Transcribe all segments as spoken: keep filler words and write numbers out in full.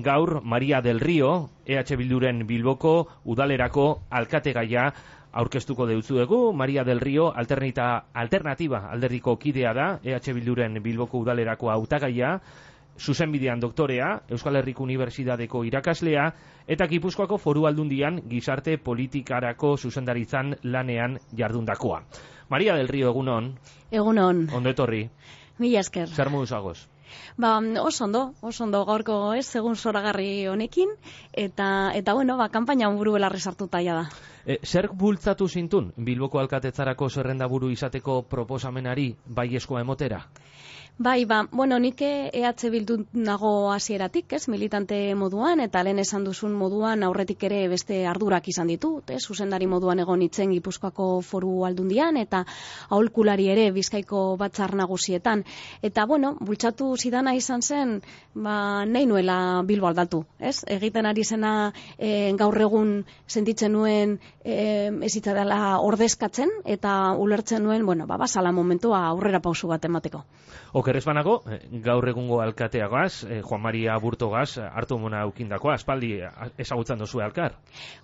gaur Maria del Rio, E H Bilduren Bilboko udalerako alkategaia aurkeztuko deutzuegu. Maria del Rio alternita, alternatiba alderdiko kidea da, E H Bilduren Bilboko udalerako hautagaia, zuzenbidean doktorea, Euskal Herriko Unibertsitateko irakaslea, eta Gipuzkoako Foru Aldundian gizarte politikarako zuzendaritzan lanean jardundakoa. Maria del Rio, egunon. Egunon. Ondo etorri. Mila esker. Zer moduz agoz? Ba, oso ondo, oso ondo gaurko ez, egun zoragarri honekin, eta, eta bueno, ba, kanpaina buru belarri sartuta ja da. E, zer bultzatu zintun Bilboko alkatetzarako zerrendaburu izateko proposamenari baiezkoa emotera? Bai, ba, bueno, nik E H Bildu nago hasieratik, ez, militante moduan, eta lehen esan duzun moduan aurretik ere beste ardurak izan ditut, ez, zuzendari moduan egon itzen Gipuzkoako Foru Aldundian, eta aholkulari ere Bizkaiko batzar nagusietan. Eta, bueno, bultzatu zidana izan zen, ba, nahi nuela Bilbo aldatu, ez? Egiten ari zena e, gaur egun sentitzen nuen e, ezitza dela ordezkatzen, eta ulertzen nuen, bueno, ba, basala momentua aurrera pausu bat emateko. Okerrez banago, gaur egungo alkateagaz, Juan Maria Burtogaz, hartu mona aukindakoa, aspaldi ezagutzen duzue alkar?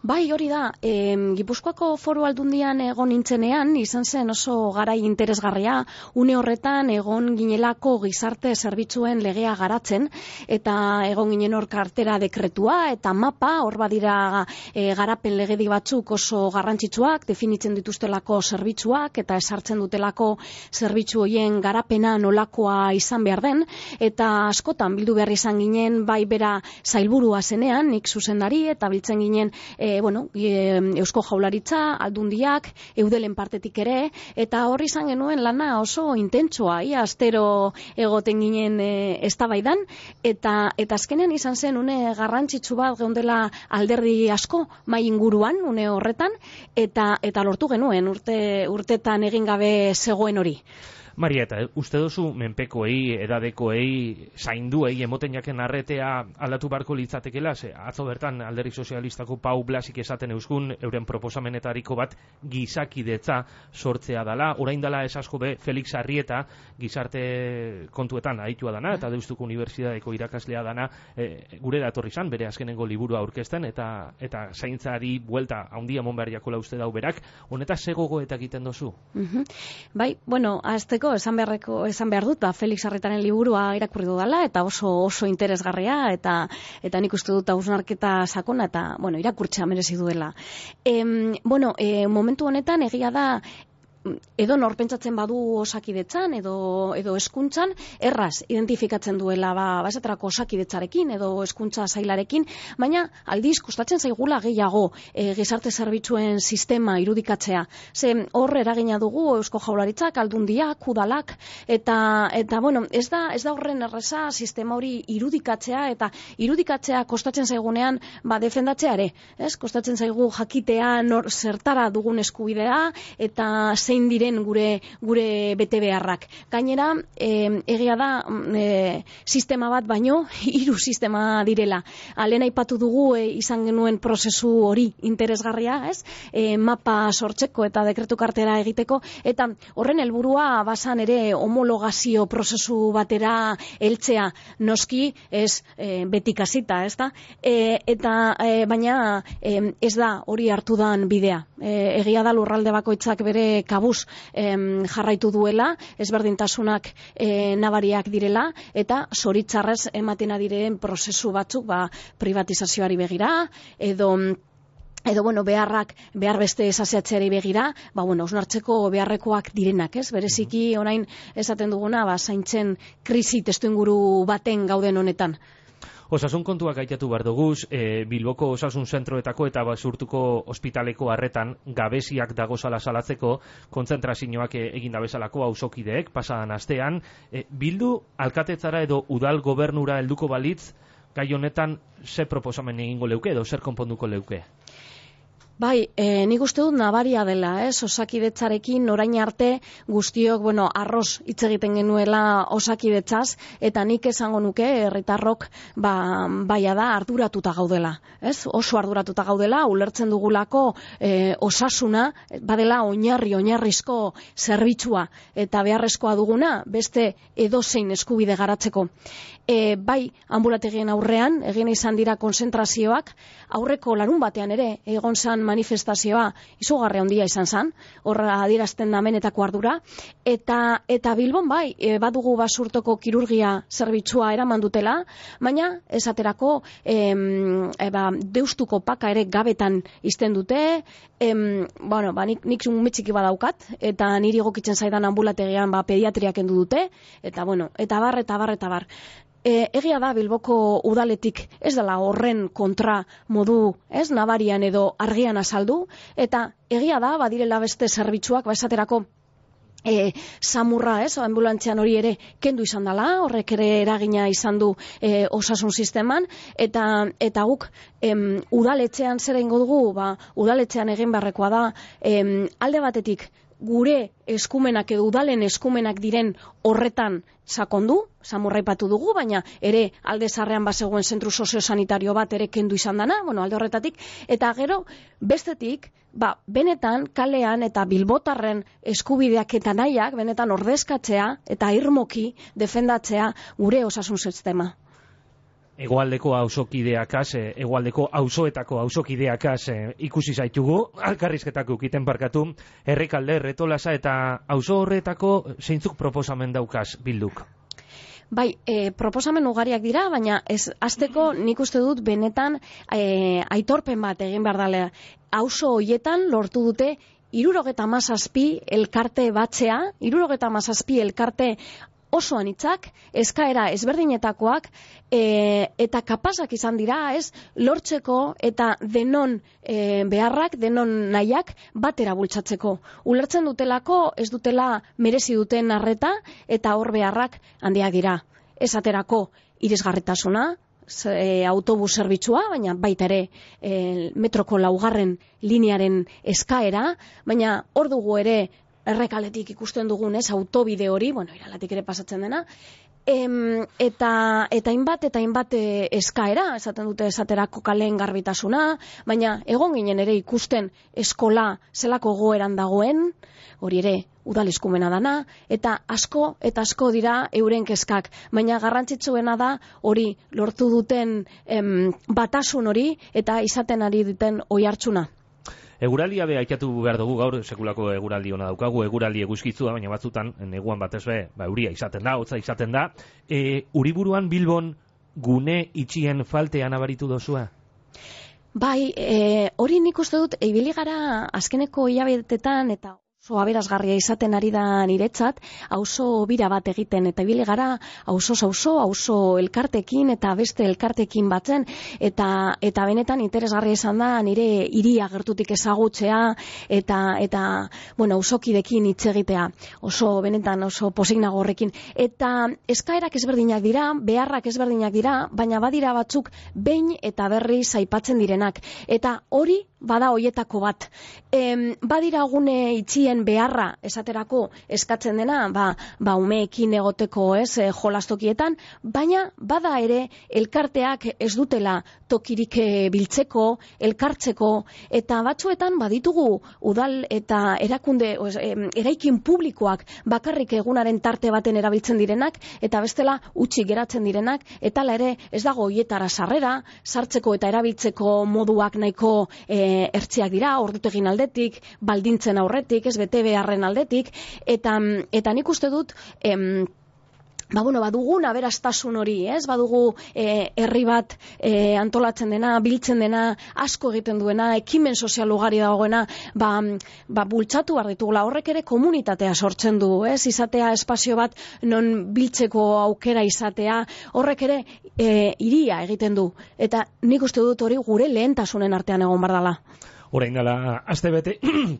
Bai, hori da, e, Gipuzkoako Foru Aldundian egon nintzenean, izan zen oso garai interesgarria, une horretan egon ginelako gizarte zerbitzuen legea garatzen, eta egon ginen hor kartera dekretua, eta mapa, hor badira e, garapen legedi batzuk oso garrantzitsuak, definitzen dituztelako zerbitzuak, eta esartzen dutelako zerbitzu horien garapena nolakoa izan behar den, eta askotan bildu behar izan ginen, bai bera zailburua zenean, nik zuzendari, eta biltzen ginen e, bueno, e, Eusko Jaurlaritza, Aldundiak, Eudelen partetik ere, eta hor izan genuen lana oso intentsoa, ia astero egoten ginen e, eztabaidan, eta eta azkenean izan zen une garrantzitsu bat geundela alderdi asko mai inguruan une horretan, eta eta lortu genuen urte urtetan egin gabe zegoen hori. Maria, eta uste duzu menpekoei, edadekoei, zainduei, emoten jaken arretea aldatu barko litzatekela, ze atzo bertan alderdi sozialistako Pau Blasik esaten euskun, euren proposamenetariko bat gizakidetza sortzea dala, orain dala esasko be Felix Arrieta gizarte kontuetan aditua dana, eta Deustuko Unibertsitateko irakaslea dana, e, gure datorri zan, bere azkenengo liburua aurkezten, eta eta zaintzari buelta handia monberriakola uste dau berak, honetaz zegogo eta egiten dozu? Uh-huh. Bai, bueno, azteko esan beharreko esan behar dut, ba, Felix Arretaren liburua irakurri dudala, eta oso oso interesgarria, eta eta nik uste dut hausnarketa sakona, eta bueno, irakurtzea merezi duela. Em, bueno, e, momentu honetan egia da, edo nor pentsatzen badu osakidetzan edo edo hezkuntzan erraz identifikatzen duela ba basetarako osakidetzarekin edo hezkuntza sailarekin, baina aldiz kostatzen zaigula gehiago e, gizarte zerbitzuen sistema irudikatzea. Ze hor eragina dugu Eusko Jaurlaritzak, Aldundiak, udalak, eta eta bueno, ez da ez da horren erreza sistema hori irudikatzea, eta irudikatzea kostatzen zaigunean ba defendatzea ere, ez? Kostatzen zaigu jakitea nor zertara dugun eskubidea eta zein diren gure gure bete beharrak. Gainera, e, egia da e, sistema bat baino hiru sistema direla. Lehen aipatu dugu e, izan genuen prozesu hori interesgarria, ez? E, mapa sortzeko eta dekretu kartera egiteko, eta horren helburua basan ere homologazio prozesu batera heltzea, noski ez e, betik hasita, ez da? E, eta e, baina e, ez da hori hartu dan bidea. E, egia da lurralde bakoitzak bere kabuz em, jarraitu duela, ezberdintasunak e, nabariak direla, eta zoritzarrez ematen diren prozesu batzuk ba, privatizazioari begira, edo edo bueno, beharrak, behar beste esaseatzeari begira, ba bueno, osnartzeko beharrekoak direnak, ez? Bereziki orain esaten duguna, ba zaintzen krisi testuinguru baten gauden honetan. Osasun kontuak aitatu behar duguz, e, Bilboko osasun zentroetako eta basurtuko ospitaleko harretan gabeziak dagozala salatzeko kontzentrazioak egin dabezalako auzokideek pasadan astean. E, Bildu alkatetzara edo udal gobernura helduko balitz, gai honetan ze proposamen egingo leuke edo zer konponduko leuke? Bai, e, nik uste dut nabaria dela, ez? Osakidetzarekin orain arte guztiok, bueno, arroz hitz egiten genuela osakidetzaz, eta nik esango nuke herritarrok ba, baia da arduratuta gaudela, ez? Oso arduratuta gaudela, ulertzen dugulako e, osasuna, badela oinarri, oinarrizko zerbitzua, eta beharrezkoa duguna, beste edozein eskubide garatzeko. E, bai, ambulategien aurrean, egin izan dira konzentrazioak, aurreko larun batean ere, egon zan manifestazioa izugarri handia izan zan, horra adierazten da menetako ardura, eta, eta Bilbon bai, e, badugu basurtoko kirurgia zerbitzua eraman dutela, baina esaterako em, e, ba, deustuko paka ere gabetan izten dute, em, bueno, ba, nik, nik umetxiki badaukat, eta niri egokitzen zaidan ambulategian ba, pediatriak endu dute, eta bueno, eta bar, eta bar, eta bar. E, egia da Bilboko udaletik ez dela horren kontra modu, ez, nabarian edo argian azaldu, eta egia da badirela beste zerbitzuak, ba esaterako E, samurra, ez, ambulantzian hori ere kendu izan dela, horrek ere eragina izan du e, osasun sisteman, eta eta guk em, udaletxean zer egingo dugu, ba, udaletxean egin beharrekoa da, em, alde batetik gure eskumenak edo udalen eskumenak diren horretan sakondu, samurra aipatu dugu, baina ere alde zarrean bazegoen zentru soziosanitario bat ere kendu izan dana, bueno, alde horretatik, eta gero bestetik, ba, benetan kalean eta bilbotarren eskubideak eta nahiak, benetan ordezkatzea eta irmoki defendatzea gure osasun sistema. Hegoaldeko auzokideakaz, hegoaldeko auzoetako auzokideakaz ikusi zaitugu, alkarrizketak ukiten barkatu, Errekalde, Retolasa eta auzo horretako zeintzuk proposamen daukaz Bilduk? Bai, e, proposamen ugariak dira, baina ez hasteko nik uste dut benetan e, aitorpen bat egin behar dela. Auzo hoietan lortu dute hirurogeta hamazazpi elkarte batzea, hirurogeta hamazazpi elkarte oso anitzak, eskaera ezberdinetakoak, e, eta kapazak izan dira, ez, lortzeko eta denon e, beharrak, denon nahiak batera bultzatzeko. Ulertzen dutelako, ez dutela merezi duten arreta, eta hor beharrak handiak dira. Esaterako irisgarritasuna, e, autobus zerbitzua, baina baita ere e, metroko laugarren linearen eskaera, baina hor dugu ere Errekaletik ikusten dugun, ez, autobide hori, bueno, Iralatik ere pasatzen dena, em, eta eta hainbat eta hainbat eskaera, esaten dute esaterako kaleen garbitasuna, baina egon ginen ere ikusten eskola zelako goeran dagoen, hori ere udal eskumena dana, eta asko eta asko dira euren kezkak, baina garrantzitsuena da hori lortu duten em, batasun hori eta izaten ari duten oihartzuna. Eguralia be aitatu behar dugu, gaur sekulako eguraldi ona daukagu, eguraldi eguzkitzua, baina batzutan, neguan batez be, ba, euria izaten da, hotza izaten da. E, Uriburuan Bilbon gune itxien faltea nabaritu dozua? Bai, e, hori nik uste dut, ibili gara azkeneko hilabetetan eta oso aberasgarria izaten ari da niretzat, auzo bira bat egiten, eta ibili gara auzo auzo, auzo elkartekin eta beste elkartekin batzen, eta eta benetan interesgarria izan da nire hiria gertutik ezagutzea, eta eta bueno, auzokidekin hitz egitea, oso benetan oso pozik nago horrekin, eta eskaerak ezberdinak dira, beharrak ezberdinak dira, baina badira batzuk behin eta berriz aipatzen direnak, eta hori bada hoietako bat. Em, badira gune itxien beharra esaterako eskatzen dena, ba, ba umeekin egoteko, ez, e, jolastokietan, baina bada ere elkarteak ez dutela tokirik biltzeko, elkartzeko, eta batzuetan baditugu udal eta erakunde, oz, e, eraikin publikoak bakarrik egunaren tarte baten erabiltzen direnak, eta bestela utzi geratzen direnak, eta la ere ez dago hoietara sarrera, sartzeko eta erabiltzeko moduak nahiko e, ertziak dira, ordutegin aldetik, baldintzen aurretik, ez bete beharren aldetik, eta, eta nik uste dut, em, ba, bueno, badugun aberastasun hori, ez? Badugu e, herri bat e, antolatzen dena, biltzen dena, asko egiten duena, ekimen sozial ugari dagoena, ba, ba bultzatu behar ditugula, horrek ere komunitatea sortzen du, ez? Izatea espazio bat non biltzeko aukera izatea, horrek ere e, hiria egiten du, eta nik uste dut hori gure lehentasunen artean egon behar dela. Orain dela aste bete,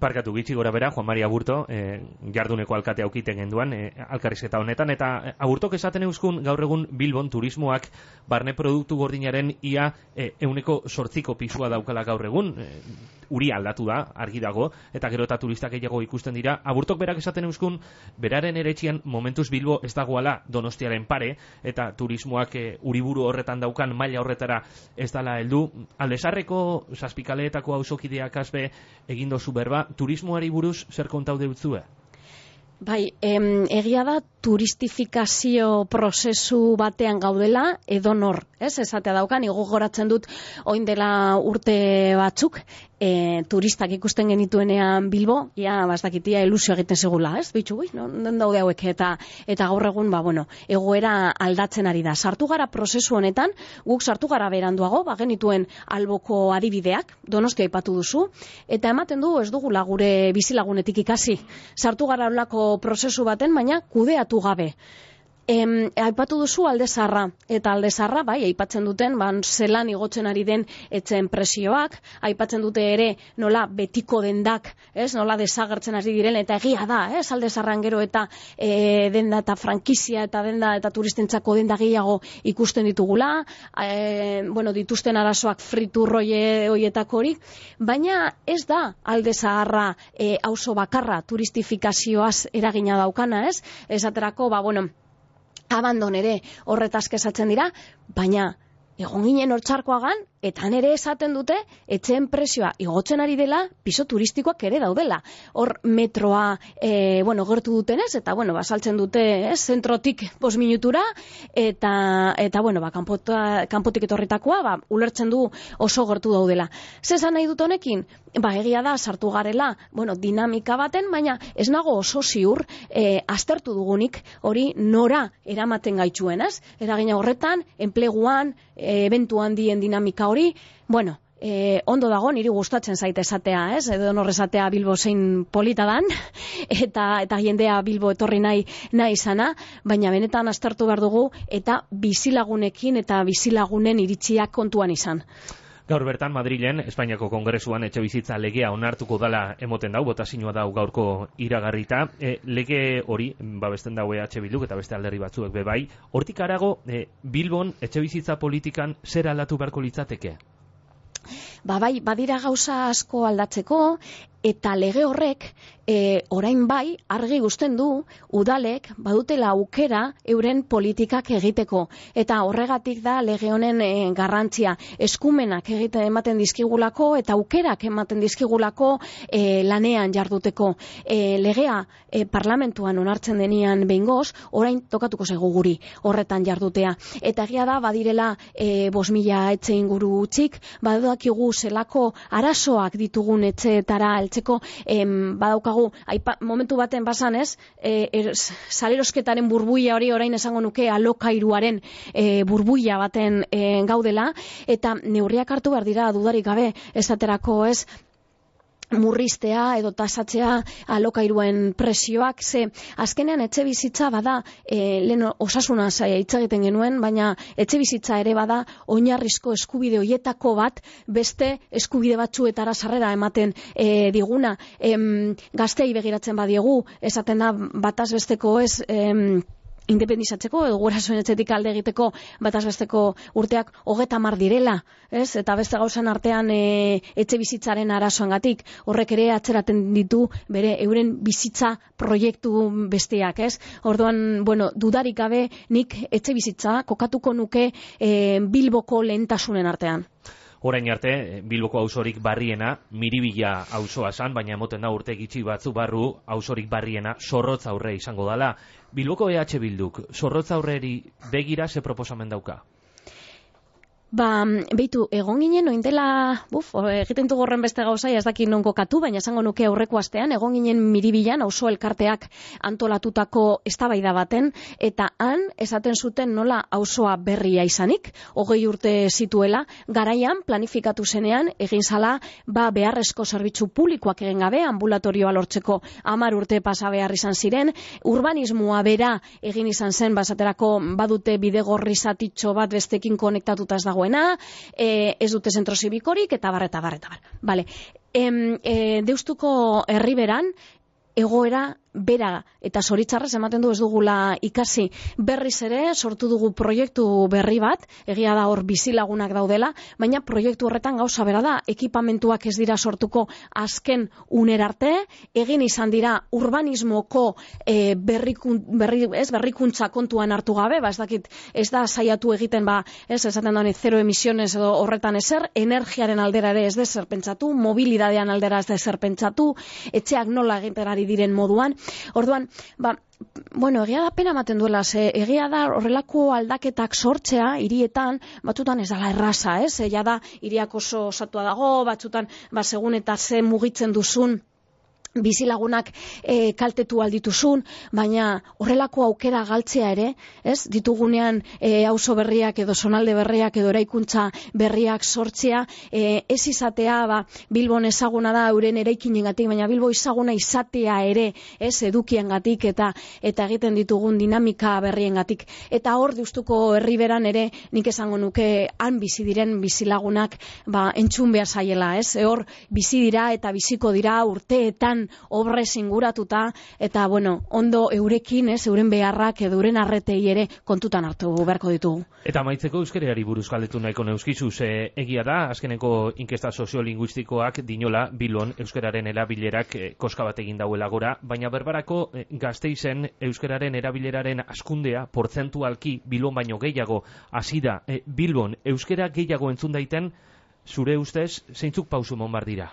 parkatu gitxi gora bera, Juan Maria Aburto, eh, jarduneko alkate aukiten genduan, eh, alkarrizketa honetan, eta Aburtok esaten euskun gaur egun Bilbon turismoak barne produktu gordinaren ia eh, euneko sortziko pisua daukala gaur egun, eh, uri aldatu da, argi dago, eta gero eta turistak gehiago ikusten dira. Aburtok berak esaten euskun, beraren eretxian momentuz Bilbo ez dagoala Donostiaren pare, eta turismoak eh, uriburu horretan daukan maila horretara ez dala heldu. Aldesarreko zazpikaleetako auzokidea kasbe egin dozu berba, turismoari buruz zer kontau deutzue? Bai, em, egia da turistifikazio prozesu batean gaudela edonor, ez? Esatea daukan, gogoratzen dut orain dela urte batzuk, e, turistak ikusten genituenean Bilbo, ja, bastakitia ilusio egiten segula, ez? Bitxu, ui, non daude hauek, eta eta gaur egun, ba, bueno, egoera aldatzen ari da. Sartu gara prozesu honetan, guk sartu gara beranduago, ba, genituen alboko adibideak, Donostia aipatu duzu, eta ematen du ez dugula gure bizilagunetik ikasi. Sartu gara holako prozesu baten, baina kudeatu gabe. Em, aipatu duzu Alde Zaharra, eta Alde Zaharra, bai, aipatzen duten, ban, zelan igotzen ari den etzen presioak, aipatzen dute ere nola betiko dendak, ez, nola desagertzen ari diren, eta egia da, ez, Alde Zaharran gero eta e, denda eta frankizia eta denda eta turistentzako denda gehiago ikusten ditugula, e, bueno, dituzten arazoak friturroie hoietako hori, baina ez da Alde Zaharra e, auzo bakarra turistifikazioaz eragina daukana, ez, esaterako, ba, bueno, abandon ere horretaz kesatzen dira, baina egon ginen hortxarkoagan, eta nere esaten dute, etxeen presioa igotzen ari dela, piso turistikoak ere daudela. Hor metroa, e, bueno, gertu dutenez, eta, bueno, basaltzen dute, ez, zentrotik bost minutura, eta, eta bueno, ba, kanpota, kanpotik etorritakoa, ba, ulertzen du oso gertu daudela. Zezan nahi dut honekin? Ba, egia da, sartu garela, bueno, dinamika baten, baina ez nago oso ziur, e, aztertu dugunik, hori nora eramaten gaituen, ez? Eragina horretan, enpleguan, e, ebentu handien dinamika hori, bueno, e, ondo dago, niri gustatzen zaite esatea, ez? Edo nor esatea Bilbo zein polita dan, eta eta jendea Bilbo etorri nahi nahi izana, baina benetan aztertu behar dugu, eta bizilagunekin eta bizilagunen iritziak kontuan izan. Gaur bertan Madrilen, Espainiako Kongresuan etxebizitza legea onartuko dala emoten dau, botazioa dau gaurko iragarrita. E, lege hori, babesten dau E H Bilduk eta beste alderri batzuek bebai. Hortik arago, e, Bilbon etxebizitza politikan zer aldatu beharko litzateke? Ba bai, badira gauza asko aldatzeko, eta lege horrek e, orain bai argi uzten du udalek badutela aukera euren politikak egiteko, eta horregatik da lege honen e, garrantzia, eskumenak egiten ematen dizkigulako eta aukerak ematen dizkigulako e, lanean jarduteko. E, legea e, parlamentuan onartzen denian behingoz, orain tokatuko zaigu guri horretan jardutea, eta egia da badirela e, bost mila etxe inguru utzik, badakigu zelako arazoak ditugun etxeetara heltzeko, em, badaukagu aipa, momentu baten basan ez, e, er, salerosketaren burbuia hori orain esango nuke alokairuaren e, burbuia baten e, gaudela, eta neurriak hartu behar dira dudarik gabe, esaterako ez, murriztea edo tasatzea alokairuen presioak, ze azkenean etxe bizitza bada, e, lehen osasuna hitz egiten genuen, baina etxe bizitza ere bada oinarrizko eskubide hoietako bat, beste eskubide batzuetara sarrera ematen e, diguna. Em, gaztei begiratzen badiegu, esaten da bataz besteko ez, em, independizatzeko edo gurasoen etxetik alde egiteko batazbesteko urteak hogeta mar direla, ez? Eta beste gauzan artean e, etxe bizitzaren arazoangatik, horrek ere atzeraten ditu bere euren bizitza proiektu besteak, ez? Orduan, bueno, dudarik gabe nik etxe bizitza kokatuko nuke e, Bilboko lehentasunen artean. Orain arte, Bilboko auzorik barriena, Miribilla auzoa zan, baina emoten da urte gitxi batzu barru auzorik barriena Zorrotz aurre izango dala. Bilboko E H Bilduk, Zorrotz aurreri begira ze proposamen dauka? Ba, beitu, egon ginen oindela, buf, egiten du gorren beste gauza, ez dakit non kokatu, baina esango nuke aurreko astean, egon ginen Miribilan, auzo elkarteak antolatutako eztabaida baten, eta han esaten zuten nola auzoa berria izanik, hogei urte zituela, garaian planifikatu zenean, egin zala, ba, beharrezko zerbitzu publikoak egin gabe, ambulatorioa lortzeko hamar urte pasa behar izan ziren, urbanismoa bera egin izan zen, basaterako badute bidegorri zatitxo bat bestekin konektatuta ez dago, E, ez dute zentro zibikorik, eta bar, eta bar, eta bar. Vale. em, e, Deustuko herriberan egoera bera eta zoritzarrez ematen du ez dugula ikasi. Berriz ere sortu dugu proiektu berri bat, egia da hor bizilagunak daudela, baina proiektu horretan gauza bera da, ekipamentuak ez dira sortuko azken unerarte, egin izan dira urbanismoko e, berrikun, berri, ez, berrikuntza kontuan hartu gabe, ba ez dakit, ez da saiatu egiten, ba, ez esaten da zero emisiones edo horretan ezer, energiaren aldera ere ez dezer pentsatu, mobilidadean aldera ez dezer pentsatu, etxeak nola egiten ari diren moduan. Orduan, ba, bueno, egia da pena ematen duela, ze egia da horrelako aldaketak sortzea hirietan, batzutan ez dala erraza, ez? Egia da hiriak oso osatua dago, batzutan ba segun eta ze mugitzen duzun bizilagunak e, kaltetu aldituzun, baina horrelako aukera galtzea ere, ez? Ditugunean e, auzo berriak edo zonalde berriak edo eraikuntza berriak sortzea, e, ez izatea, ba, Bilbon ezaguna da euren eraikinengatik, baina Bilbo ezaguna izatea ere, ez, edukiengatik eta eta egiten ditugun dinamika berriengatik. Eta hor Deustuko herriberan ere nik esango nuke han bizi diren bizilagunak, ba, entzun behar zaiela, ez? E, hor bizi dira eta biziko dira urteetan obrez inguratuta, eta bueno, ondo eurekin, ez, euren beharrak edo euren arretei ere kontutan hartu beharko ditugu. Eta amaitzeko euskarari buruz galdetu nahiko neuskizu, ze egia da, azkeneko inkesta soziolinguistikoak dinola Bilbon euskararen erabilerak eh, koska bat egin dauela gora, baina berbarako eh, Gasteizen euskararen erabileraren askundea portzentualki Bilbon baino gehiago hasi da. Eh, Bilbon euskara gehiago entzun daiten, zure ustez, zeintzuk pausu emon behar dira?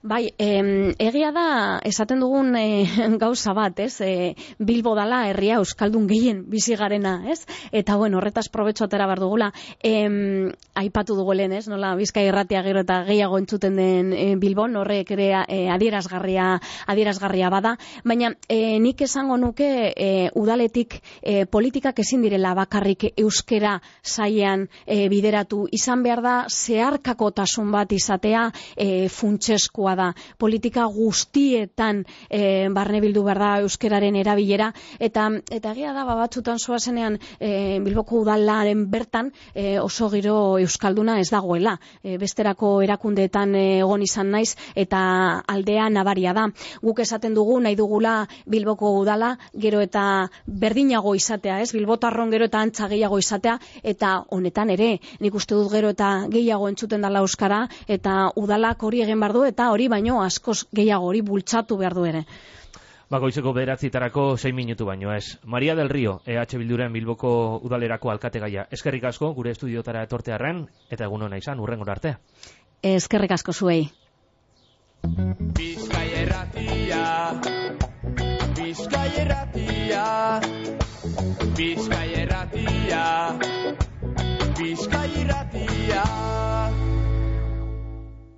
Bai, em, egia da, esaten dugun e, gauza bat, ez? E, Bilbo dala herria euskaldun gehien bizi garena, ez? Eta, bueno, horretaz probetxo atera behar dugula. Em, aipatu dugu lehen, ez? Nola, Bizkai irratia gero eta gehiago entzuten den e, Bilbon, horrek ere e, adierazgarria, adierazgarria bada. Baina, e, nik esango nuke e, udaletik e, politikak ezin direla bakarrik euskera sailean e, bideratu. Izan behar da, zeharkakotasun bat izatea e, funtsezkoa da. Politika guztietan e, barne bildu behar da euskeraren erabilera, eta eta egia da, batzutan zoazenean e, Bilboko udalaren bertan e, oso giro euskalduna ez dagoela. E, besterako erakundeetan e, egon izan naiz, eta aldea nabaria da. Guk esaten dugu, nahi dugula Bilboko udala gero eta berdinago izatea, ez? Bilbotarron gero eta antza gehiago izatea, eta honetan ere, nik uste dut gero eta gehiago entzuten dela euskara, eta udalak hori egin behar du, eta hori baino askoz gehiago hori bultzatu behar du ere. Bakoitzeko bederatzitarako sei minutu baino ez. Maria del Rio, E H Bilduren Bilboko udalerako alkategaia. Eskerrik asko gure estudiotara etortearren, eta egun hona izan, hurrengora arte. Eskerrik asko zuei. Bizkai erratia, Bizkai erratia, Bizkai erratia.